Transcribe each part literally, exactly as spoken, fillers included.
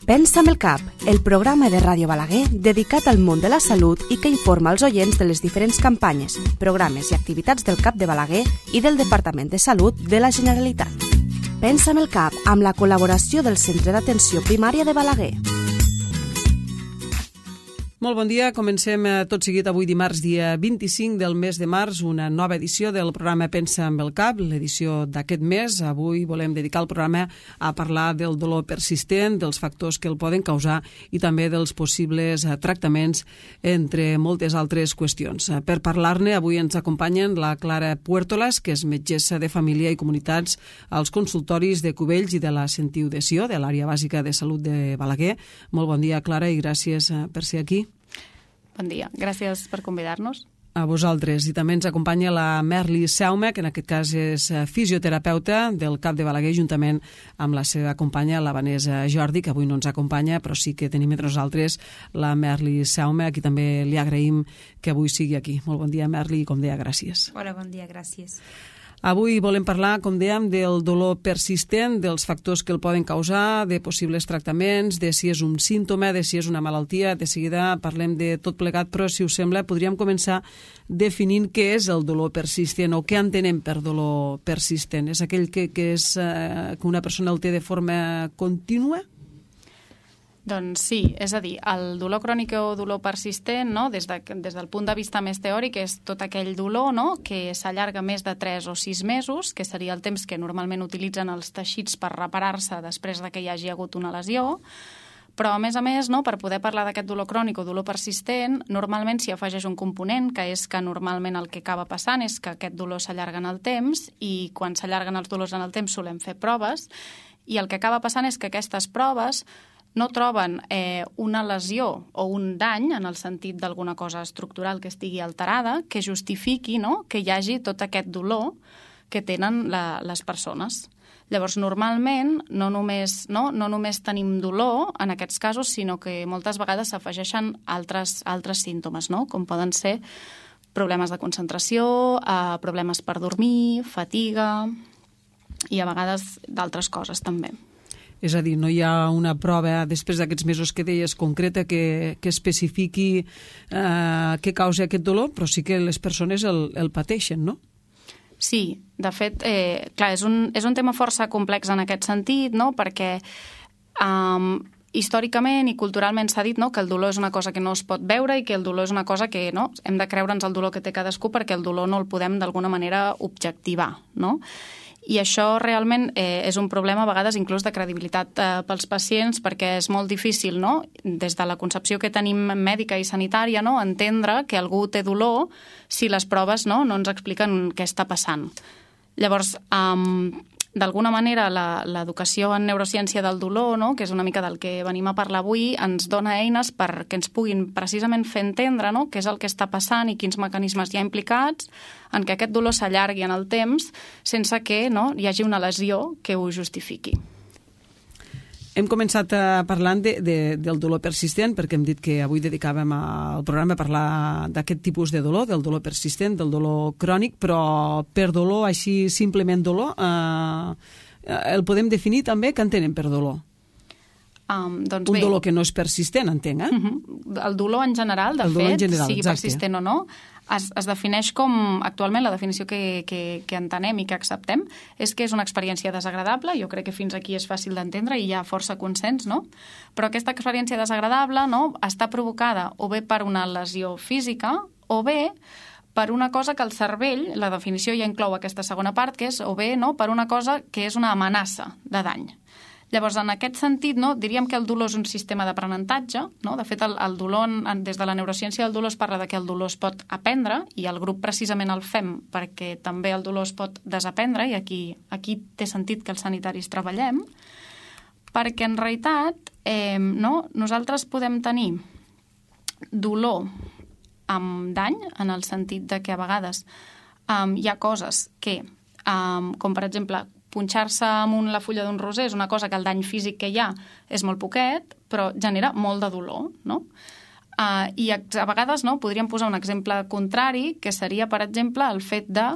Pensa amb el cap, el programa de Ràdio Balaguer dedicat al món de la salut i que informa els oients de les diferents campanyes, programes i activitats del CAP de Balaguer i del Departament de Salut de la Generalitat. Pensa amb el cap, amb la col·laboració del Centre d'Atenció Primària de Balaguer. Molt bon dia, comencem tot seguit avui dimarts dia vint-i-cinc del mes de març, una nova edició del programa Pensa amb el cap, l'edició d'aquest mes. Avui volem dedicar el programa a parlar del dolor persistent, dels factors que el poden causar i també dels possibles tractaments, entre moltes altres qüestions. Per parlar-ne, avui ens acompanyen la Clara Puertolas, que és metgessa de família i comunitats als consultoris de Cubells i de la Sentiu de Sió, de l'àrea bàsica de salut de Balaguer. Molt bon dia, Clara, i gràcies per ser aquí. Bon dia, gràcies per convidar-nos. A vosaltres. I també ens acompanya la Merli Saume, que en aquest cas és fisioterapeuta del CAP de Balaguer, juntament amb la seva companya, la Vanessa Jordi, que avui no ens acompanya, però sí que tenim entre nosaltres la Merli Saume, a qui també li agraïm que avui sigui aquí. Molt bon dia, Merli, i com deia, gràcies. Hola, bon dia, gràcies. Avui volem parlar, com dèiem, del dolor persistent, dels factors que el poden causar, de possibles tractaments, de si és un símptoma, de si és una malaltia. De seguida parlem de tot plegat, però si us sembla podríem començar definint què és el dolor persistent o què entenem per dolor persistent. És aquell que, que, és, eh, que una persona el té de forma contínua? Doncs sí, és a dir, el dolor crònic o dolor persistent, no? des, de, des del punt de vista més teòric, és tot aquell dolor, no? que s'allarga més de tres o sis mesos, que seria el temps que normalment utilitzen els teixits per reparar-se després de que hi hagi hagut una lesió. Però, a més a més, no? per poder parlar d'aquest dolor crònic o dolor persistent, normalment s'hi afegeix un component, que és que normalment el que acaba passant és que aquest dolor s'allarga en el temps, i quan s'allarguen els dolors en el temps solem fer proves, i el que acaba passant és que aquestes proves no troben eh, una lesió o un dany, en el sentit d'alguna cosa estructural que estigui alterada, que justifiqui, no?, que hi hagi tot aquest dolor que tenen la, les persones. Llavors, normalment, no només, no, no només tenim dolor en aquests casos, sinó que moltes vegades s'afegeixen altres, altres símptomes, no?, com poden ser problemes de concentració, eh, problemes per dormir, fatiga i a vegades d'altres coses també. És a dir, no hi ha una prova, després d'aquests mesos que deies, concreta, que, que especifiqui eh, què causa aquest dolor, però sí que les persones el, el pateixen, no? Sí, de fet, eh, clar, és un, és un tema força complex en aquest sentit, no?, perquè um, històricament i culturalment s'ha dit, no?, que el dolor és una cosa que no es pot veure i que el dolor és una cosa que, no?, hem de creure'ns el dolor que té cadascú perquè el dolor no el podem d'alguna manera objectivar, no? I això realment eh, és un problema a vegades inclús de credibilitat eh, pels pacients, perquè és molt difícil, no?, des de la concepció que tenim mèdica i sanitària, no?, entendre que algú té dolor si les proves, no?, no ens expliquen què està passant. Llavors, um, d'alguna manera, l'educació en neurociència del dolor, no?, que és una mica del que venim a parlar avui, ens dona eines perquè ens puguin precisament fer entendre, no?, què és el que està passant i quins mecanismes hi ha implicats en que aquest dolor s'allargui en el temps sense que, no?, hi hagi una lesió que ho justifiqui. Hem començat parlant de, de, del dolor persistent, perquè hem dit que avui dedicàvem al programa a parlar d'aquest tipus de dolor, del dolor persistent, del dolor crònic, però per dolor, així simplement dolor, eh, el podem definir també que entenem per dolor. Um, doncs Un bé, dolor que no és persistent, entenc, eh? Uh-huh. El dolor en general, de el dolor fet, en general, sigui exacte. persistent o no, es, es defineix com, actualment la definició que, que, que entenem i que acceptem és que és una experiència desagradable. Jo crec que fins aquí és fàcil d'entendre i hi ha força consens, no? Però aquesta experiència desagradable, no?, està provocada o bé per una lesió física o bé per una cosa que el cervell, la definició ja inclou aquesta segona part, que és o bé, no?, per una cosa que és una amenaça de dany. Llavors, en aquest sentit, no, diríem que el dolor és un sistema d'aprenentatge, no? De fet, el, el dolor, des de la neurociència del dolor es parla de que el dolor es pot aprendre, i el grup precisament el fem perquè també el dolor es pot desaprendre, i aquí, aquí té sentit que els sanitaris treballem, perquè en realitat eh, no, nosaltres podem tenir dolor amb dany, en el sentit de que a vegades um, hi ha coses que, um, com per exemple, punxar-se amb un, la fulla d'un roser és una cosa que el dany físic que hi ha és molt poquet, però genera molt de dolor, no? Uh, I a, a vegades, no, podríem posar un exemple contrari, que seria, per exemple, el fet de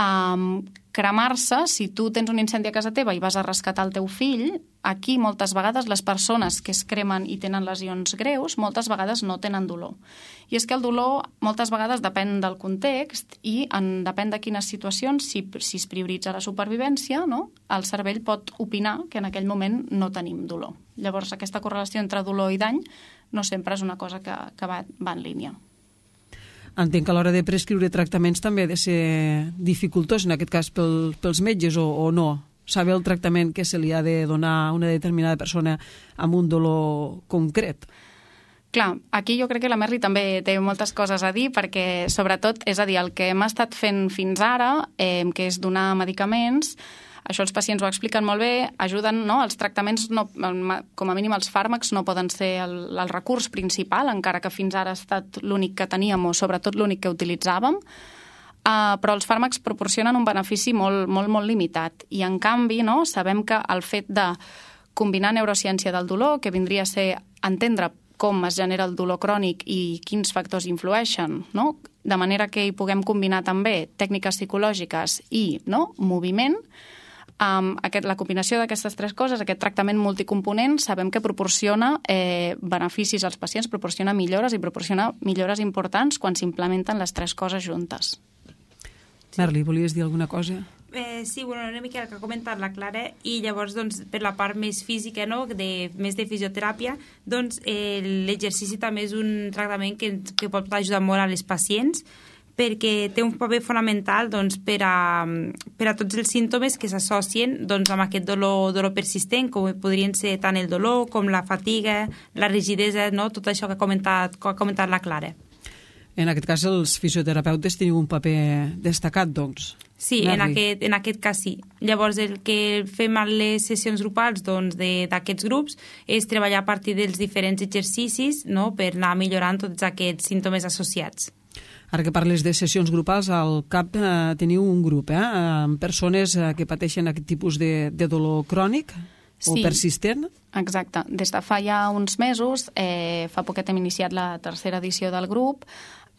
Um, cremar-se, si tu tens un incendi a casa teva i vas a rescatar el teu fill, aquí moltes vegades les persones que es cremen i tenen lesions greus, moltes vegades no tenen dolor. I és que el dolor moltes vegades depèn del context i en, depèn de quines situacions, si, si es prioritza la supervivència, no? El cervell pot opinar que en aquell moment no tenim dolor. Llavors, aquesta correlació entre dolor i dany no sempre és una cosa que, que va, va en línia. Entenc que a l'hora de prescriure tractaments també ha de ser dificultós, en aquest cas pel, pels metges, o, o no? Saber el tractament que se li ha de donar a una determinada persona amb un dolor concret. Clar, aquí jo crec que la Merli també té moltes coses a dir perquè, sobretot, és a dir, el que hem estat fent fins ara, eh, que és donar medicaments, això els pacients ho expliquen molt bé, ajuden, no? Els tractaments, no, com a mínim els fàrmacs, no poden ser el, el recurs principal, encara que fins ara ha estat l'únic que teníem o sobretot l'únic que utilitzàvem, uh, però els fàrmacs proporcionen un benefici molt, molt, molt limitat. I, en canvi, no? Sabem que el fet de combinar neurociència del dolor, que vindria a ser entendre com es genera el dolor crònic i quins factors influeixen, no? De manera que hi puguem combinar també tècniques psicològiques i, no? Moviment. Um, aquest, la combinació d'aquestes tres coses, aquest tractament multicomponent, sabem que proporciona eh, beneficis als pacients, proporciona millores i proporciona millores importants quan s'implementen les tres coses juntes. Sí. Merli, volies dir alguna cosa? Eh, sí, bueno, una mica el que ha comentat la Clara, i llavors, doncs, per la part més física, no?, de, més de fisioteràpia, doncs, eh, l'exercici també és un tractament que, que pot ajudar molt a les pacients, perquè té un paper fonamental, doncs, per, a, per a tots els símptomes que s'associen, doncs, amb aquest dolor, dolor persistent, com podrien ser tant el dolor com la fatiga, la rigidesa, no?, tot això que ha comentat, que ha comentat la Clara. En aquest cas, els fisioterapeutes teniu un paper destacat, doncs. Sí, en aquest, en aquest cas sí. Llavors, el que fem a les sessions grupals, doncs, d'aquests grups és treballar a partir dels diferents exercicis, no?, per anar millorant tots aquests símptomes associats. Ara que parles de sessions grupals, al CAP eh, teniu un grup, eh, amb persones eh, que pateixen aquest tipus de, de dolor crònic o sí, persistent? Exacte. Des de fa ja uns mesos, eh, fa poquet hem iniciat la tercera edició del grup,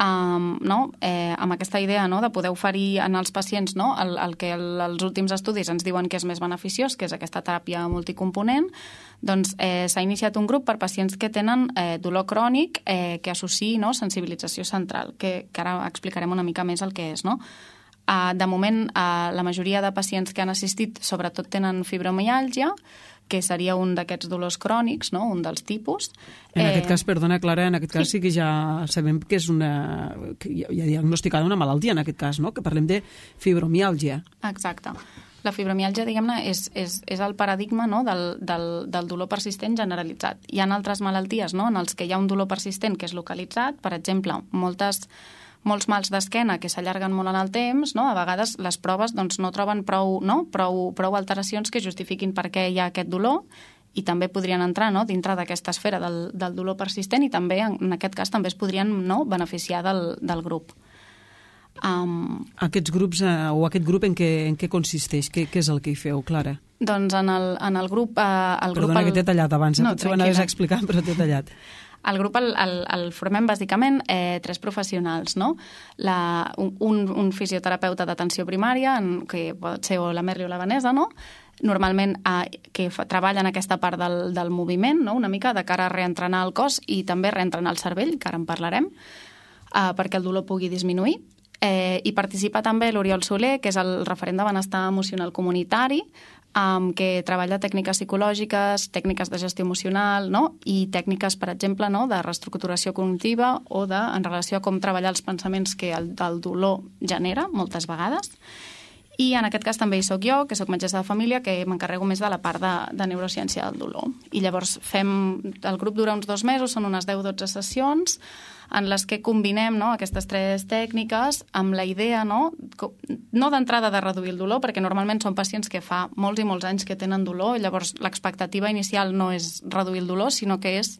Um, no? eh, amb aquesta idea, no?, de poder oferir en els pacients, no?, el, el que el, els últims estudis ens diuen que és més beneficiós, que és aquesta teràpia multicomponent. Doncs eh, s'ha iniciat un grup per pacients que tenen eh, dolor crònic eh, que associï, no?, sensibilització central, que, que ara explicarem una mica més el que és, no? Uh, de moment, uh, la majoria de pacients que han assistit sobretot tenen fibromiàlgia, que seria un d'aquests dolors crònics, no?, un dels tipus. En eh... aquest cas, perdona, Clara, en aquest cas sí, sí que ja sabem que és una... que hi ha diagnosticada una malaltia, en aquest cas, no?, que parlem de fibromiàlgia. Exacte. La fibromiàlgia, diguem-ne, és, és, és el paradigma, no?, del, del, del dolor persistent generalitzat. Hi ha altres malalties, no?, en els que hi ha un dolor persistent que és localitzat, per exemple, moltes... molts mals d'esquena que s'allarguen molt en el temps, no? A vegades les proves, doncs, no troben prou, no? prou, prou alteracions que justifiquin per què hi ha aquest dolor, i també podrien entrar, no?, dintre d'aquesta esfera del, del dolor persistent, i també, en aquest cas, també es podrien, no?, beneficiar del, del grup. Um... Aquests grups, eh, o aquest grup en què, en què consisteix? Què, què és el que hi feu, Clara? Doncs en el, en el grup... Eh, el Perdona grup el... que t'he tallat abans, eh? No, potser ho anaves a explicar, però t'he tallat. El grup el, el, el formem bàsicament eh, tres professionals, no? La, un, un fisioterapeuta d'atenció primària, en, que pot ser o la Merli o la Vanessa, no? Normalment eh, que fa, treballa en aquesta part del, del moviment, no?, una mica de cara a reentrenar el cos i també reentrenar el cervell, que ara en parlarem, eh, perquè el dolor pugui disminuir. Eh, I participa també l'Oriol Soler, que és el referent de benestar emocional comunitari, Um, que treballa tècniques psicològiques, tècniques de gestió emocional, no?, i tècniques, per exemple, no?, de reestructuració cognitiva o de, en relació a com treballar els pensaments que el, el dolor genera, moltes vegades. I en aquest cas també hi soc jo, que soc metgessa de família, que m'encarrego més de la part de, de neurociència del dolor. I llavors fem... El grup dura uns dos mesos, són unes deu dotze sessions, en les que combinem, no?, aquestes tres tècniques amb la idea, no?, no d'entrada de reduir el dolor, perquè normalment són pacients que fa molts i molts anys que tenen dolor, i llavors l'expectativa inicial no és reduir el dolor, sinó que és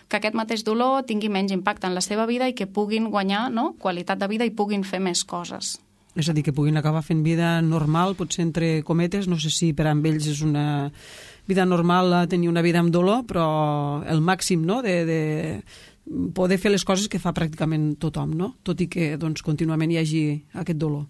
que aquest mateix dolor tingui menys impacte en la seva vida i que puguin guanyar, no?, qualitat de vida i puguin fer més coses. És a dir, que puguin acabar fent vida normal, potser entre cometes, no sé si per a ells és una vida normal tenir una vida amb dolor, però el màxim, no?, de... de poder fer les coses que fa pràcticament tothom, no?, tot i que, doncs, contínuament hi hagi aquest dolor.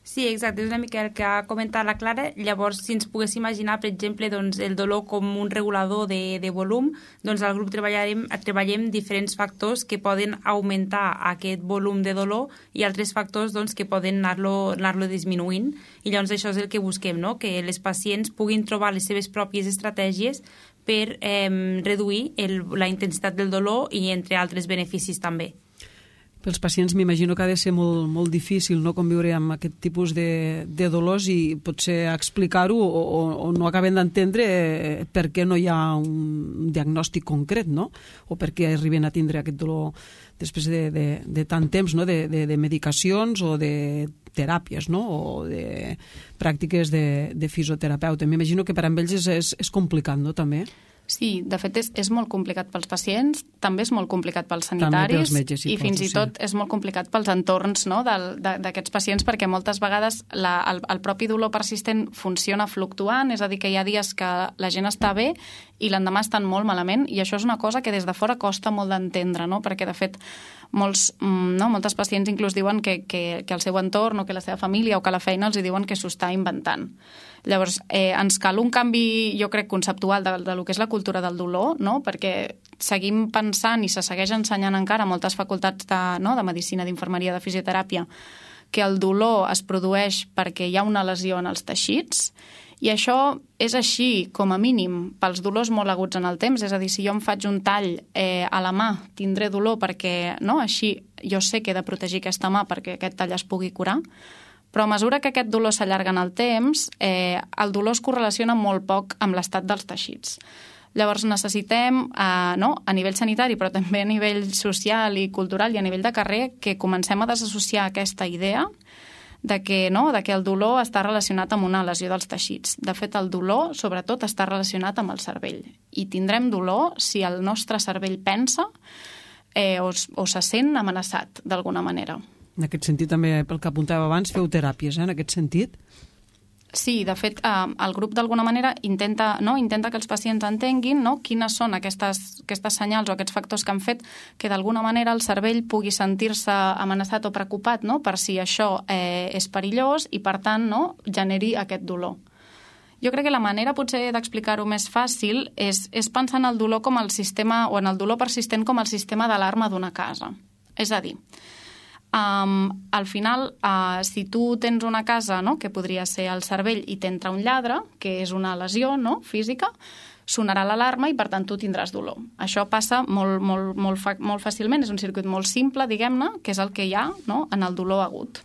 Sí, exacte, és una mica el que ha comentat la Clara. Llavors, si ens pogués imaginar, per exemple, doncs, el dolor com un regulador de, de volum, doncs al grup treballarem, treballem diferents factors que poden augmentar aquest volum de dolor i altres factors doncs, que poden anar-lo anar-lo disminuint. I llavors això és el que busquem, no? Que les pacients puguin trobar les seves pròpies estratègies per eh, reduir el, la intensitat del dolor i entre altres beneficis també. Pels pacients m'imagino que ha de ser molt, molt difícil, no?, conviure amb aquest tipus de, de dolors i potser explicar-ho o, o, o no acaben d'entendre per què no hi ha un diagnòstic concret, no?, o per què arriben a tindre aquest dolor després de, de, de tant temps, no?, de, de, de medicacions o de teràpies, no?, o de pràctiques de, de fisioterapeuta. M'imagino que per a ells és, és, és complicat, no?, també. Sí, de fet és, és molt complicat pels pacients, també és molt complicat pels sanitaris pels metges, i fins i tot sí. És molt complicat pels entorns, no?, d'aquests pacients, perquè moltes vegades la, el, el propi dolor persistent funciona fluctuant, és a dir, que hi ha dies que la gent està bé i l'endemà estan molt malament, i això és una cosa que des de fora costa molt d'entendre, no?, perquè de fet molts, no, moltes pacients inclús diuen que, que, que el seu entorn o que la seva família o que la feina els diuen que s'ho està inventant. Llavors, eh, ens cal un canvi, jo crec, conceptual de, de lo que és la cultura del dolor, no?, perquè seguim pensant i se segueix ensenyant encara a moltes facultats de, no, de medicina, d'infermeria, de fisioteràpia, que el dolor es produeix perquè hi ha una lesió en els teixits, i això és així, com a mínim, pels dolors molt aguts en el temps. És a dir, si jo em faig un tall eh, a la mà, tindré dolor perquè, no?, així jo sé que he de protegir aquesta mà perquè aquest tall es pugui curar, però a mesura que aquest dolor s'allarga en el temps, eh, el dolor es correlaciona molt poc amb l'estat dels teixits. Llavors necessitem, eh, no, a nivell sanitari, però també a nivell social i cultural i a nivell de carrer, que comencem a desassociar aquesta idea de que, no, de que el dolor està relacionat amb una lesió dels teixits. De fet, el dolor, sobretot, està relacionat amb el cervell. I tindrem dolor si el nostre cervell pensa eh, o, o se sent amenaçat, d'alguna manera. En aquest sentit, també, pel que apuntava abans, feu teràpies, eh, en aquest sentit? Sí, de fet, eh, el grup d'alguna manera intenta, no, intenta que els pacients entenguin, no, quines són aquestes, aquestes senyals o aquests factors que han fet que d'alguna manera el cervell pugui sentir-se amenaçat o preocupat, no, per si això eh, és perillós i, per tant, no, generi aquest dolor. Jo crec que la manera potser d'explicar-ho més fàcil és, és pensar en el dolor com el sistema, o en el dolor persistent com el sistema d'alarma d'una casa. És a dir, Um, al final, uh, si tu tens una casa, no?, que podria ser el cervell, i t'entra un lladre, que és una lesió, no?, física, sonarà l'alarma i, per tant, tu tindràs dolor. Això passa molt, molt, molt, fa, molt fàcilment, és un circuit molt simple, diguem-ne, que és el que hi ha, no?, en el dolor agut.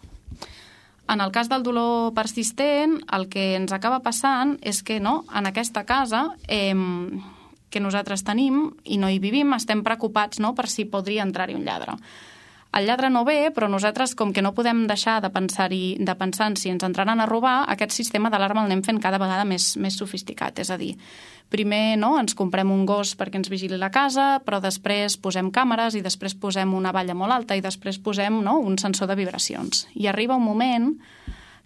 En el cas del dolor persistent, el que ens acaba passant és que, no, en aquesta casa eh, que nosaltres tenim i no hi vivim, estem preocupats, no?, per si podria entrar-hi un lladre. El lladre no ve, però nosaltres, com que no podem deixar de pensar-hi, de pensar en si ens entraran a robar, aquest sistema d'alarma el anem fent cada vegada més, més sofisticat. És a dir, primer, no, ens comprem un gos perquè ens vigili la casa, però després posem càmeres i després posem una valla molt alta i després posem, no, un sensor de vibracions. I arriba un moment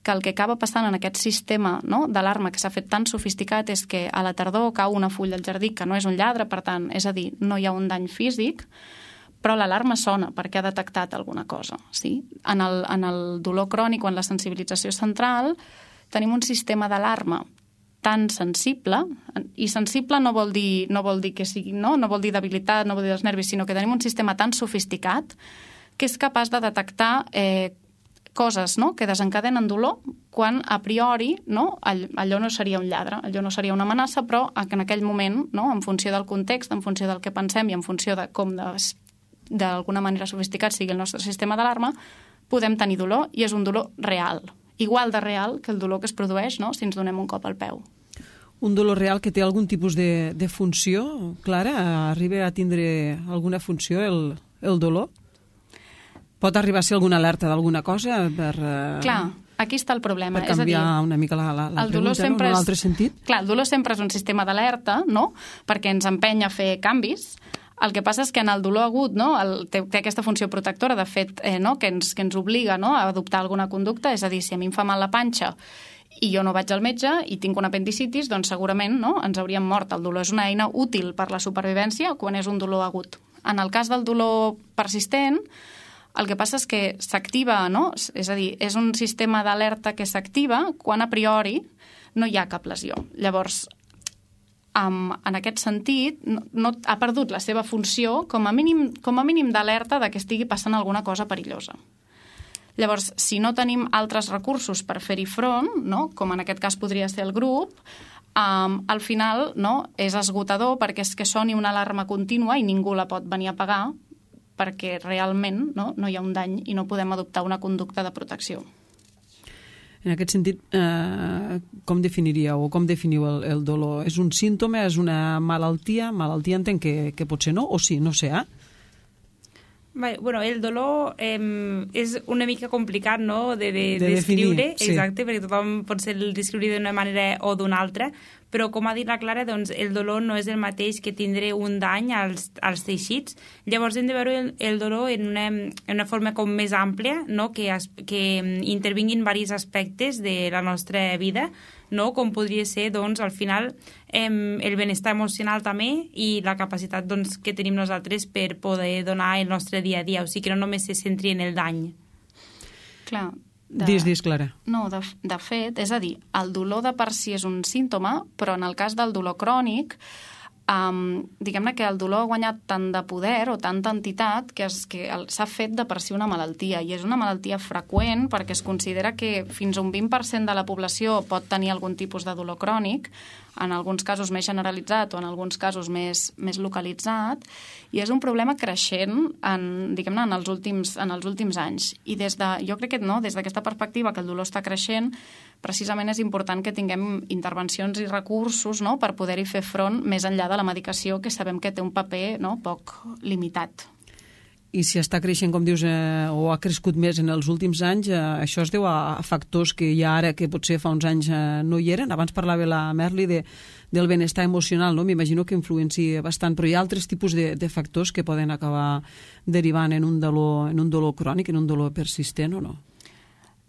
que el que acaba passant en aquest sistema, no, d'alarma que s'ha fet tan sofisticat és que a la tardor cau una fulla al jardí que no és un lladre, per tant, és a dir, no hi ha un dany físic, però l'alarma sona perquè ha detectat alguna cosa. Sí? En, el, en el dolor crònic o en la sensibilització central tenim un sistema d'alarma tan sensible, i sensible no vol dir, no vol dir que sigui, no? no vol dir debilitat, no vol dir dels nervis, sinó que tenim un sistema tan sofisticat que és capaç de detectar eh, coses, no?, que desencadenen dolor quan a priori, no?, allò no seria un lladre, allò no seria una amenaça, però en aquell moment, no?, en funció del context, en funció del que pensem i en funció de com de d'alguna manera sofisticat sigui el nostre sistema d'alarma, podem tenir dolor, i és un dolor real, igual de real que el dolor que es produeix, no?, si ens donem un cop al peu. Un dolor real que té algun tipus de, de funció, Clara? Arriba a tindre alguna funció el, el dolor? Pot arribar a ser alguna alerta d'alguna cosa per... Uh... Clar, aquí està el problema. Per canviar és a dir, una mica la, la, la el dolor pregunta, sempre no? En un és, altre sentit? Clar, el dolor sempre és un sistema d'alerta, no?, perquè ens empeny a fer canvis. El que passa és que en el dolor agut, no, el, té, té aquesta funció protectora, de fet, eh, no, que, ens, que ens obliga, no, a adoptar alguna conducta, és a dir, si a mi em fa mal la panxa i jo no vaig al metge i tinc una apendicitis, doncs segurament, no, ens hauríem mort. El dolor és una eina útil per la supervivència quan és un dolor agut. En el cas del dolor persistent, El que passa és que s'activa, no? És a dir, és un sistema d'alerta que s'activa quan a priori no hi ha cap lesió. Llavors, Um, en aquest sentit, no, no ha perdut la seva funció com a mínim, com a mínim d'alerta de que estigui passant alguna cosa perillosa. Llavors, si no tenim altres recursos per fer-hi front, no? Com en aquest cas podria ser el grup, um, al final no? És esgotador perquè és que soni una alarma contínua i ningú la pot venir a pagar perquè realment no, no hi ha un dany i no podem adoptar una conducta de protecció. En aquest sentit, eh, com definiríeu o com definiu el, el dolor? És un símptoma, és una malaltia? Malaltia entenc que, que potser no, o sí, no sé, eh? Bueno, el dolor eh, és una mica complicat, no?, de, de, de descriure, sí. Exacte, perquè tothom pot ser el descriure d'una manera o d'una altra, però com ha dit la Clara, doncs, el dolor no és el mateix que tindre un dany als, als teixits. Llavors hem de veure el, el dolor en una, en una forma com més àmplia, no?, que, es, que intervinguin diversos aspectes de la nostra vida, no?, com podria ser, doncs, al final, eh, el benestar emocional també i la capacitat, doncs, que tenim nosaltres per poder donar el nostre dia a dia, o sigui que no només se centri en el dany. Clar. De... Dis, dis, Clara. No, de, de fet, és a dir, el dolor de per si és un símptoma, però en el cas del dolor crònic, um, diguem-ne que el dolor ha guanyat tant de poder o tanta entitat que, es, que s'ha fet de per si una malaltia, i és una malaltia freqüent perquè es considera que fins a un vint per cent de la població pot tenir algun tipus de dolor crònic, en alguns casos més generalitzat o en alguns casos més, més localitzat, i és un problema creixent en, diguem-ne, en els últims, en els últims anys. I des de, jo crec que no, des d'aquesta perspectiva que el dolor està creixent, precisament és important que tinguem intervencions i recursos, no?, per poder-hi fer front més enllà de la medicació, que sabem que té un paper, no?, poc limitat. I si està creixent, com dius, eh, o ha crescut més en els últims anys, eh, això es deu a, a factors que ja ara, que potser fa uns anys eh, no hi eren. Abans parlava la Merli de, del benestar emocional, no? M'imagino que influencia bastant, però hi ha altres tipus de, de factors que poden acabar derivant en un dolor, en un dolor crònic, en un dolor persistent, o no?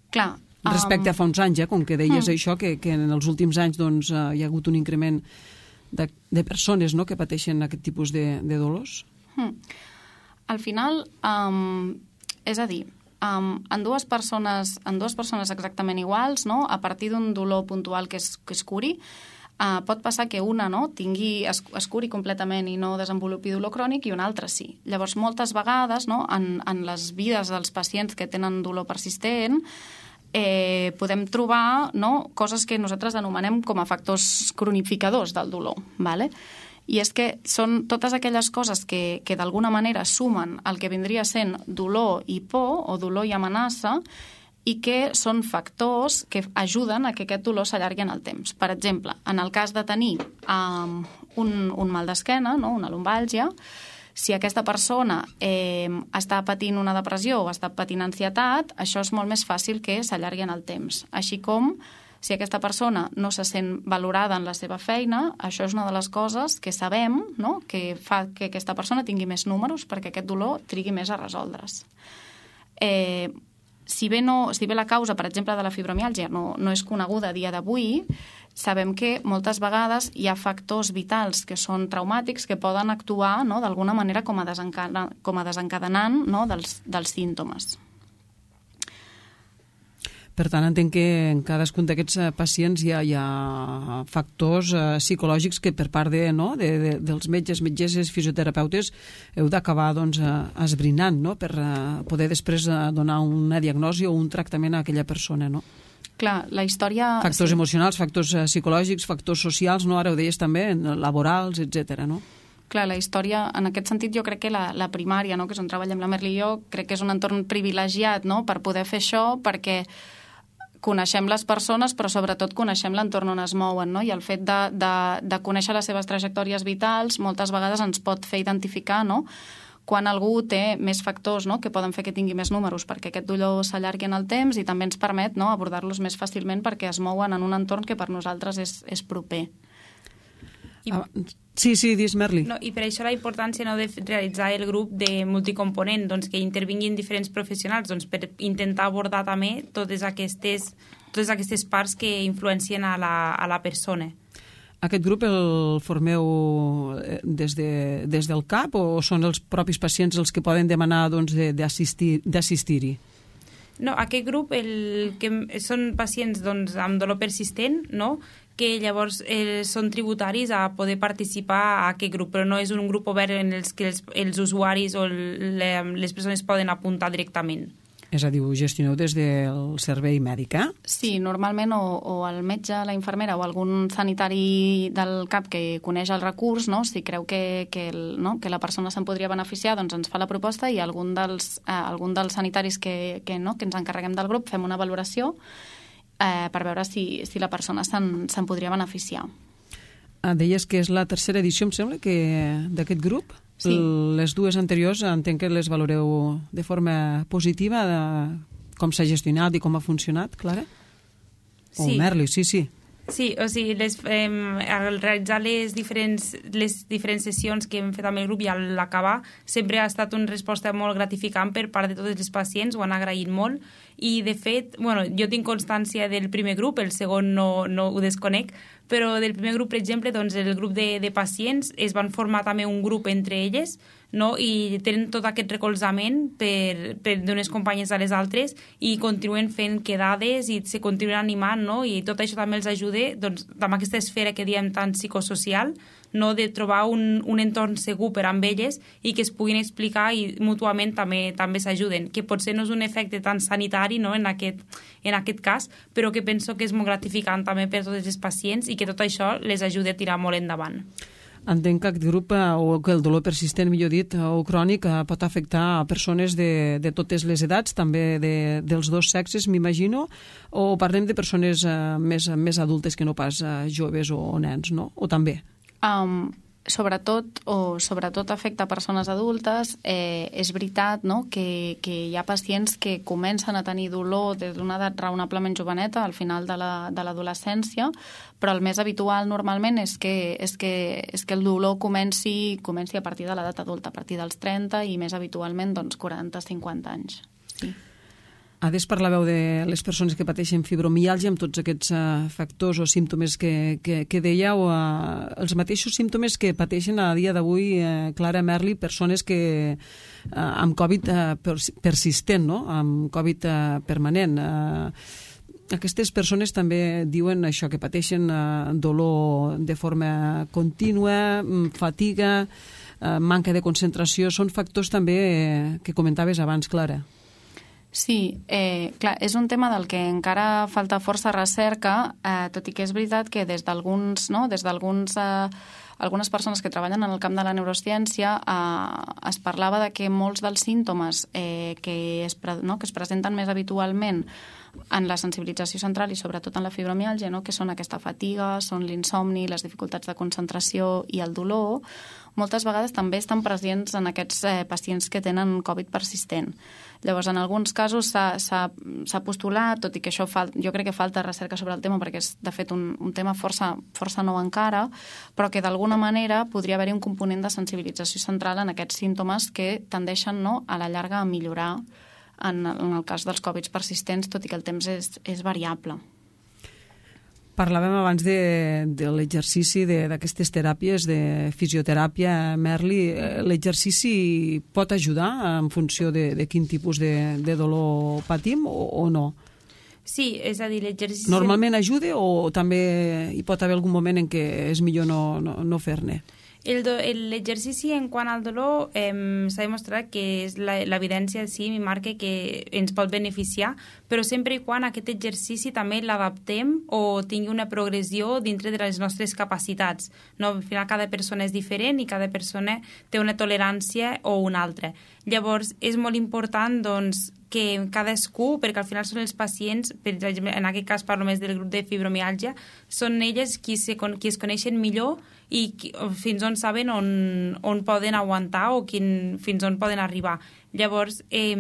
Clar. Respecte um... a fa uns anys, eh, com que deies mm. això, que, que en els últims anys doncs, eh, hi ha hagut un increment de, de persones, no?, que pateixen aquest tipus de, de dolors. Mm. Al final, um, és a dir, um, en, dues persones, en dues persones exactament iguals, no?, a partir d'un dolor puntual que es, que es curi, uh, pot passar que una, no?, tingui, es, es curi completament i no desenvolupi dolor crònic, i una altra sí. Llavors, moltes vegades, no?, en, en les vides dels pacients que tenen dolor persistent, eh, podem trobar, no?, coses que nosaltres anomenem com a factors cronificadors del dolor, ¿vale? I és que són totes aquelles coses que, que d'alguna manera sumen el que vindria sent dolor i por, o dolor i amenaça, i que són factors que ajuden a que aquest dolor s'allargui en el temps. Per exemple, en el cas de tenir um, un, un mal d'esquena, no?, una lumbàlgia, si aquesta persona eh, està patint una depressió o està patint ansietat, això és molt més fàcil que s'allargui en el temps. Així com si aquesta persona no se sent valorada en la seva feina, això és una de les coses que sabem, no?, que fa que aquesta persona tingui més números perquè aquest dolor trigui més a resoldre's. Eh, si, bé no, si bé la causa, per exemple, de la fibromiàlgia no, no és coneguda a dia d'avui, sabem que moltes vegades hi ha factors vitals que són traumàtics que poden actuar, no?, d'alguna manera com a, desencada, com a desencadenant, no?, dels, dels símptomes. Per tant, entenc que en cadascun d'aquests pacients hi ha, hi ha factors eh, psicològics que per part de, no, de, de, dels metges, metgesses, fisioterapeutes, heu d'acabar doncs, esbrinant, no?, per eh, poder després eh, donar una diagnosi o un tractament a aquella persona, no? Clar, la història... Factors sí. emocionals, factors eh, psicològics, factors socials, no? Ara ho deies també, laborals, etcètera, no? Clar, la història, en aquest sentit, jo crec que la, la primària, no?, que és on treballem la Merli i jo, crec que és un entorn privilegiat, no?, per poder fer això, perquè coneixem les persones, però sobretot coneixem l'entorn on es mouen, no? I el fet de, de, de conèixer les seves trajectòries vitals moltes vegades ens pot fer identificar, no?, quan algú té més factors, no?, que poden fer que tingui més números perquè aquest dolor s'allargui en el temps, i també ens permet, no?, abordar-los més fàcilment perquè es mouen en un entorn que per nosaltres és, és proper. I... Ah, sí, sí, dis, Merli. No, I per això la importància, no, de realitzar el grup de multicomponent, doncs, que intervinguin diferents professionals, doncs, per intentar abordar també totes aquestes, totes aquestes parts que influencien a la, a la persona. Aquest grup el formeu des, de, des del C A P o són els propis pacients els que poden demanar doncs, d'assistir-hi? No, aquest grup el, que són pacients doncs, amb dolor persistent, no? Que llavors eh, són tributaris a poder participar a aquest grup, però no és un grup obert en els que els, els usuaris o le, les persones poden apuntar directament. És a dir, ho gestioneu des del servei mèdic, eh? Sí, normalment o, o el metge, la infermera o algun sanitari del C A P que coneix el recurs, no? Si creu que, que, el, no? que la persona se'n podria beneficiar, doncs ens fa la proposta i algun dels, eh, algun dels sanitaris que, que, no? que ens encarreguem del grup fem una valoració eh, per veure si, si la persona se'n se podria beneficiar. Ah, deies que és la tercera edició, em sembla, que d'aquest grup? Sí. Les dues anteriors entenc que les valoreu de forma positiva, de com s'ha gestionat i com ha funcionat, Clara? O sí. Merli, sí, sí. Sí, o sigui, les, eh, al realitzar les diferents, les diferents sessions que hem fet amb el grup i a l'acabar, sempre ha estat una resposta molt gratificant per part de tots els pacients, ho han agraït molt, i de fet, bueno, jo tinc constància del primer grup, el segon no, no ho desconec, però del primer grup, per exemple, doncs el grup de, de pacients es van formar també un grup entre elles, no? I tenen tot aquest recolzament per, per d'unes companyes a les altres i continuen fent quedades i se continuen animant, no? I tot això també els ajuda doncs, amb aquesta esfera que diem tan psicosocial, no? De trobar un, un entorn segur per amb elles i que es puguin explicar i mútuament també també s'ajuden, que potser no és un efecte tan sanitari, no? en, aquest, en aquest cas, però que penso que és molt gratificant també per tots els pacients i que tot això les ajuda a tirar molt endavant. Entenc que aquest grup, o que el dolor persistent, millor dit, o crònic, pot afectar a persones de, de totes les edats, també de, dels dos sexes, m'imagino, o parlem de persones uh, més, més adultes que no pas uh, joves o, o nens, no? O també? Um, sobretot, o sobretot afecta persones adultes. Eh, és veritat, no?, que, que hi ha pacients que comencen a tenir dolor des d'una edat raonablement joveneta, al final de l'adolescència, la, però el més habitual normalment és que, és que, és que el dolor comenci, comenci a partir de l'edat adulta, a partir dels trenta i més habitualment doncs, quaranta a cinquanta anys. Sí. Ades parlàveu de les persones que pateixen fibromiàlgia amb tots aquests uh, factors o símptomes que, que, que dèieu, uh, els mateixos símptomes que pateixen a dia d'avui, uh, Clara, Merli, persones que uh, amb Covid uh, persistent, no? Amb Covid uh, permanent. Uh, aquestes persones també diuen això, que pateixen uh, dolor de forma contínua, fatiga, uh, manca de concentració. Són factors també uh, que comentaves abans, Clara. Sí, eh, clar, és un tema del que encara falta força recerca, eh, tot i que és veritat que des d'alguns, no, des d'alguns eh, algunes persones que treballen en el camp de la neurociència eh, es parlava de que molts dels símptomes eh, que, es, no, que es presenten més habitualment en la sensibilització central i sobretot en la fibromiàlgia, no? Que són aquesta fatiga, són l'insomni, les dificultats de concentració i el dolor, moltes vegades també estan presents en aquests eh, pacients que tenen Covid persistent. Llavors, en alguns casos s'ha postulat, tot i que això fa, jo crec que falta recerca sobre el tema perquè és, de fet, un, un tema força, força nou encara, però que d'alguna manera podria haver-hi un component de sensibilització central en aquests símptomes que tendeixen, no, a la llarga a millorar en, en el cas dels Covid persistents, tot i que el temps és, és variable. Parlàvem abans de, de l'exercici d'aquestes teràpies, de fisioteràpia, Merli. L'exercici pot ajudar en funció de, de quin tipus de, de dolor patim o, o no? Sí, és a dir, l'exercici... Normalment ajuda o també hi pot haver algun moment en què és millor no, no, no fer-ne? L'exercici en quant al dolor eh, s'ha demostrat que és l'evidència sí marca que ens pot beneficiar, però sempre i quan aquest exercici també l'adaptem o tingui una progressió dintre de les nostres capacitats. No? Al final cada persona és diferent i cada persona té una tolerància o una altra. Llavors és molt important doncs, que cadascú, perquè al final són els pacients, per exemple, en aquest cas parlo més del grup de fibromiàlgia, són elles qui, se, qui es coneixen millor i qui, fins on saben on, on poden aguantar o quin, fins on poden arribar. Llavors, eh,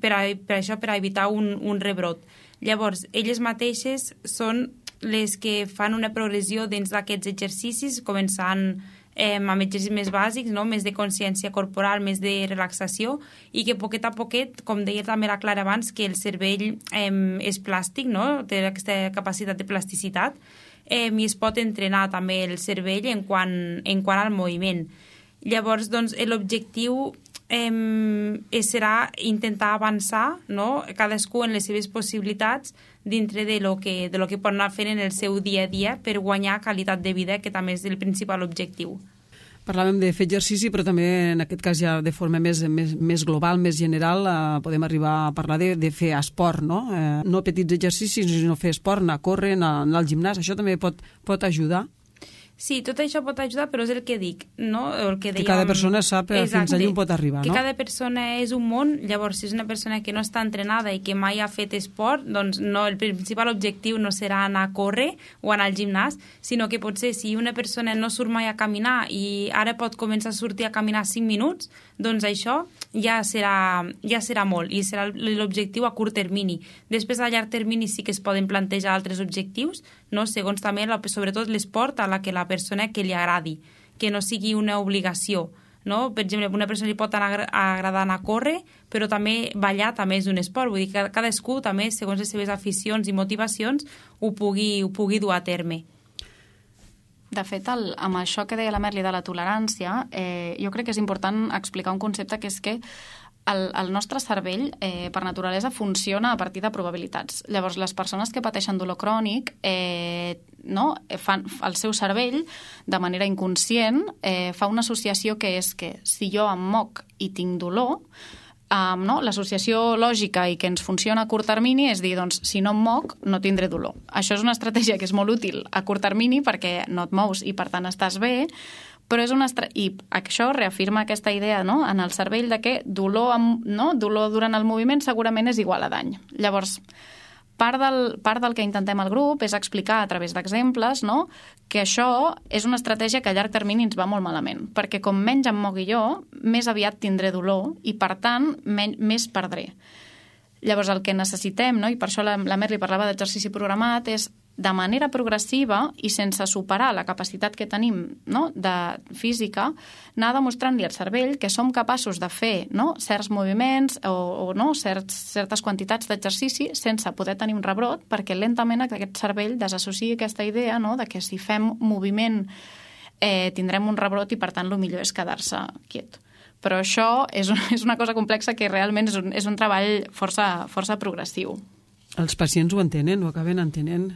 per, a, per això, per a evitar un, un rebrot. Llavors, elles mateixes són les que fan una progressió dins d'aquests exercicis, començant Eh, amb exercicis més bàsics, no? Més de consciència corporal, més de relaxació i que poquet a poquet, com deia també la Clara abans, que el cervell eh, és plàstic, no? Té aquesta capacitat de plasticitat, eh, i es pot entrenar també el cervell en quant, en quant al moviment. Llavors, doncs, l'objectiu eh, serà intentar avançar, no?, cadascú en les seves possibilitats dintre de lo que, de lo que pot anar fent en el seu dia a dia per guanyar qualitat de vida, que també és el principal objectiu. Parlàvem de fer exercici, però també en aquest cas ja de forma més, més, més global, més general, eh, podem arribar a parlar de, de fer esport, no? Eh, no petits exercicis, sinó fer esport, anar a córrer, anar, anar al gimnàs, això també pot, pot ajudar. Sí, tot això pot ajudar, però és el que dic, no? El que, dèiem... que cada persona sap Exacte. Fins allà on pot arribar, que no? Que cada persona és un món, llavors si és una persona que no està entrenada i que mai ha fet esport, doncs no, el principal objectiu no serà anar a córrer o anar al gimnàs, sinó que potser si una persona no surt mai a caminar i ara pot començar a sortir a caminar cinc minuts, doncs això ja serà, ja serà molt i serà l'objectiu a curt termini. Després a llarg termini sí que es poden plantejar altres objectius, no? Segons també, la, sobretot l'esport a la que la persona que li agradi, que no sigui una obligació, no? Per exemple, una persona li pot anar, agradar anar a córrer, però també ballar també és un esport, vull dir que cadascú també, segons les seves aficions i motivacions, ho pugui, ho pugui dur a terme. De fet, el, amb això que deia la Merli de la tolerància, eh, jo crec que és important explicar un concepte que és que El, el nostre cervell, eh, per naturalesa, funciona a partir de probabilitats. Llavors, les persones que pateixen dolor crònic, eh, no, fan, el seu cervell, de manera inconscient, eh, fa una associació que és que si jo em moc i tinc dolor, Um, no? l'associació lògica i que ens funciona a curt termini és dir, doncs, si no em moc, no tindré dolor. Això és una estratègia que és molt útil a curt termini perquè no et mous i, per tant, estàs bé, però és una estra... i això reafirma aquesta idea, no?, en el cervell de que dolor, amb... no? dolor durant el moviment segurament és igual a dany. Llavors, part del, part del que intentem al grup és explicar a través d'exemples, no?, que això és una estratègia que a llarg termini ens va molt malament, perquè com menys em mogui jo, més aviat tindré dolor i, per tant, men... més perdré. Llavors, el que necessitem, no?, i per això la, la Merli parlava d'exercici programat, és de manera progressiva i sense superar la capacitat que tenim, no?, de física, anar demostrant-li al cervell que som capaços de fer, no?, certs moviments o, o no, certs, certes quantitats d'exercici sense poder tenir un rebrot, perquè lentament aquest cervell desassociï aquesta idea, no?, de que si fem moviment eh, tindrem un rebrot i, per tant, el millor és quedar-se quiet. Però això és, un, és una cosa complexa que realment és un, és un treball força, força progressiu. Els pacients ho entenen, ho acaben entenent?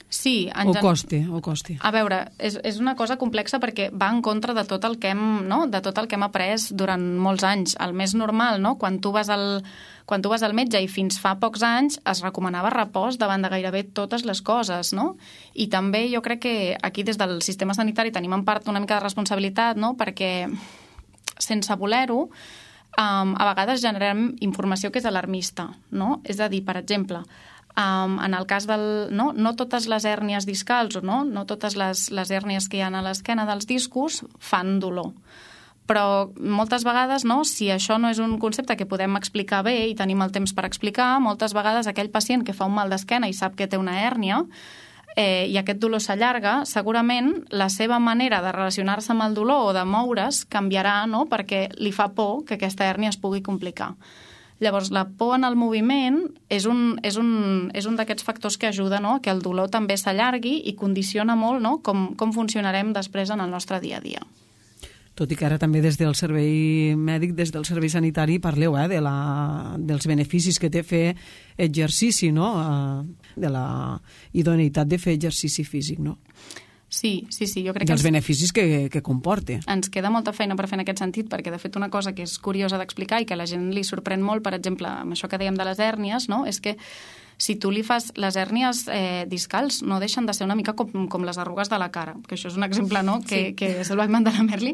Sí. O costi, o costi. A veure, és, és una cosa complexa perquè va en contra de tot el que hem, no?, de tot el que hem après durant molts anys. El més normal, no?, quan tu vas al, quan tu vas al metge i fins fa pocs anys es recomanava repòs davant de gairebé totes les coses, no? I també jo crec que aquí des del sistema sanitari tenim en part una mica de responsabilitat, no?, perquè sense voler-ho, um, a vegades generem informació que és alarmista, no? És a dir, per exemple, Um, en el cas del... No, no totes les hèrnies discals, no, no totes les, les hèrnies que hi ha a l'esquena dels discos fan dolor. Però moltes vegades, no, si això no és un concepte que podem explicar bé i tenim el temps per explicar, moltes vegades aquell pacient que fa un mal d'esquena i sap que té una hèrnia eh, i aquest dolor s'allarga, segurament la seva manera de relacionar-se amb el dolor o de moure's canviarà, no?, perquè li fa por que aquesta hèrnia es pugui complicar. Llavors, la por en el moviment és un, és un, és un d'aquests factors que ajuda, no?, que el dolor també s'allargui i condiciona molt, no?, com, com funcionarem després en el nostre dia a dia. Tot i que ara també des del servei mèdic, des del servei sanitari, parleu eh, de la, dels beneficis que té fer exercici, no?, de la idoneïtat de fer exercici físic, no? Sí, sí, sí, jo crec que... dels beneficis que, que comporta. Ens queda molta feina per fer en aquest sentit, perquè, de fet, una cosa que és curiosa d'explicar i que a la gent li sorprèn molt, per exemple, amb això que dèiem de les hèrnies, no?, és que si tu li fas... Les hèrnies eh, discals no deixen de ser una mica com, com les arrugues de la cara, que això és un exemple, no?, que, sí. que se'l va inventar la Merli,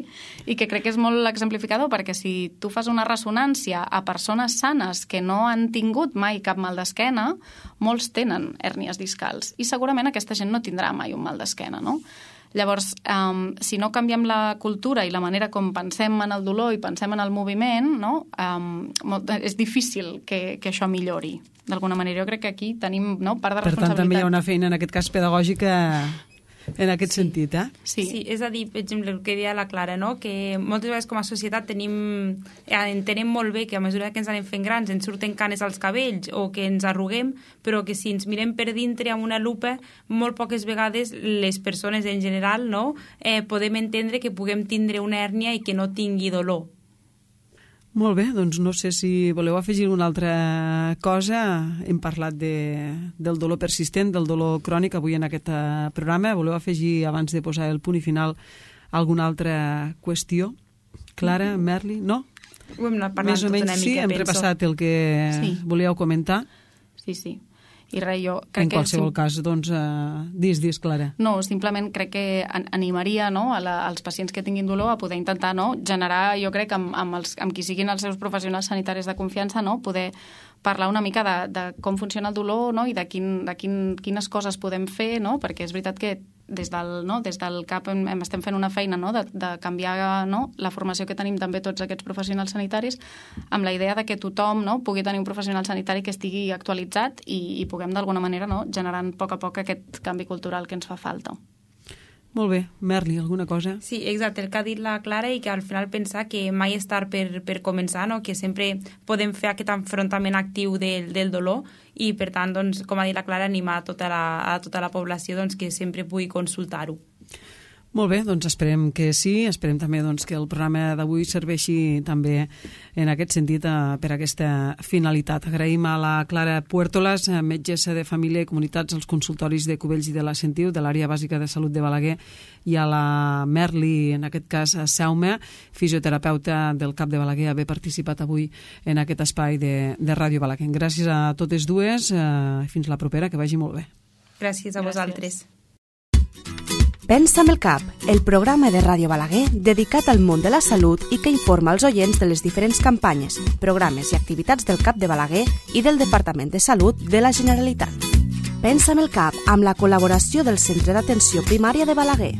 i que crec que és molt exemplificador, perquè si tu fas una ressonància a persones sanes que no han tingut mai cap mal d'esquena, molts tenen hèrnies discals, i segurament aquesta gent no tindrà mai un mal d'esquena, no? Llavors, um, si no canviem la cultura i la manera com pensem en el dolor i pensem en el moviment, no? um, molt, és difícil que, que això millori. D'alguna manera, jo crec que aquí tenim, no?, part de per responsabilitat. tant, també hi ha una feina, en aquest cas pedagògica, en aquest sí. sentit, eh? Sí. sí, és a dir, per exemple, el que deia la Clara, no? Que moltes vegades com a societat tenim, entenem molt bé que a mesura que ens anem fent grans ens surten canes als cabells o que ens arruguem, però que si ens mirem per dintre amb una lupa, molt poques vegades les persones en general, no? Eh, podem entendre que puguem tindre una hèrnia i que no tingui dolor. Molt bé, doncs no sé si voleu afegir una altra cosa. Hem parlat de, del dolor persistent, del dolor crònic avui en aquest programa. Voleu afegir, abans de posar el punt i final, alguna altra qüestió? Clara, Merli, no? Ho hem anat parlant Més o menys tota una mica, sí, hem penso. repassat el que sí. volíeu comentar. Sí, sí. I res, jo crec en qualsevol que... cas, doncs, uh, dis, dis, Clara. No, simplement crec que animaria, no, a la, als pacients que tinguin dolor a poder intentar, no, generar, jo crec, amb, amb, els, amb qui siguin els seus professionals sanitaris de confiança, no, poder parlar una mica de, de com funciona el dolor, no, i de, quin, de quin, quines coses podem fer, no, perquè és veritat que des del, no, des del C A P hem, hem, estem fent una feina, no, de, de canviar, no, la formació que tenim també tots aquests professionals sanitaris amb la idea de que tothom, no, pugui tenir un professional sanitari que estigui actualitzat i, i puguem d'alguna manera, no, generant a poc a poc aquest canvi cultural que ens fa falta. Molt bé. Merli, alguna cosa? Sí, exacte, el que ha dit la Clara i que al final pensar que mai és tard per, per començar, no? Que sempre podem fer aquest enfrontament actiu del, del dolor i, per tant, doncs, com ha dit la Clara, animar a tota la, a tota la població doncs, que sempre pugui consultar-ho. Molt bé, doncs esperem que sí, esperem també doncs, que el programa d'avui serveixi també en aquest sentit eh, per aquesta finalitat. Agraïm a la Clara Puertolas, metgessa de família i comunitats als consultoris de Cubells i de la Sentiu, de l'àrea bàsica de salut de Balaguer, i a la Merli, en aquest cas Saume, fisioterapeuta del C A P de Balaguer, haver participat avui en aquest espai de, de Ràdio Balaguer. Gràcies a totes dues, eh, fins la propera, que vagi molt bé. Gràcies a Gràcies. vosaltres. Pensa amb el cap, el programa de Ràdio Balaguer dedicat al món de la salut i que informa els oients de les diferents campanyes, programes i activitats del C A P de Balaguer i del Departament de Salut de la Generalitat. Pensa amb el cap, amb la col·laboració del Centre d'Atenció Primària de Balaguer.